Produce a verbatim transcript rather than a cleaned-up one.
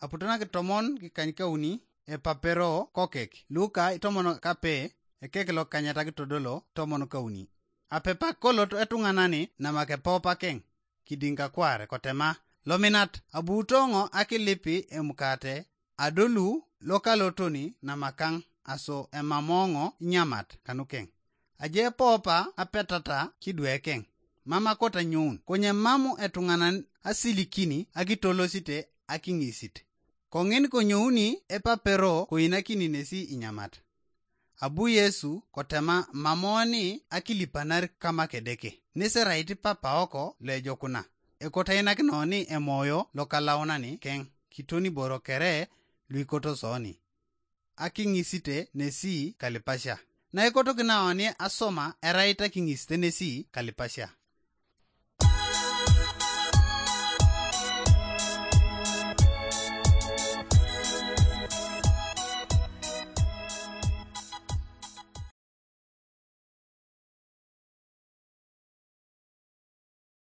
Aputo nakitomon kikanykauni epapero kokek, Luka itomon kape, ekek lokanyata kitodolo tomon kauni. Apepak kolot etuŋanani namak epoopakeŋ kidiŋ kakware kotema, lominat abuutoŋo akilipi emukate, adolu lokalotoni namakaŋ aso emamoŋo inyamat kanukeŋ. Aje poopa apetata kidwekeŋ, mam akotanyoun, konye mam etuŋanan asilikini akitolosite akiŋisit. Koŋin konyouni epapero koinakini nesi inyamat. Abu Yesu kotema mamoni akilipanar kama Kedeke, neserait papaoko loejokuna, ekotainakinoni emoyo lokalaunani keŋ kitoniboro kere luikotosoni, akiŋisite nesi kalipasia. Naikotokinaoni asoma erait akiŋisite nesi kalipasia.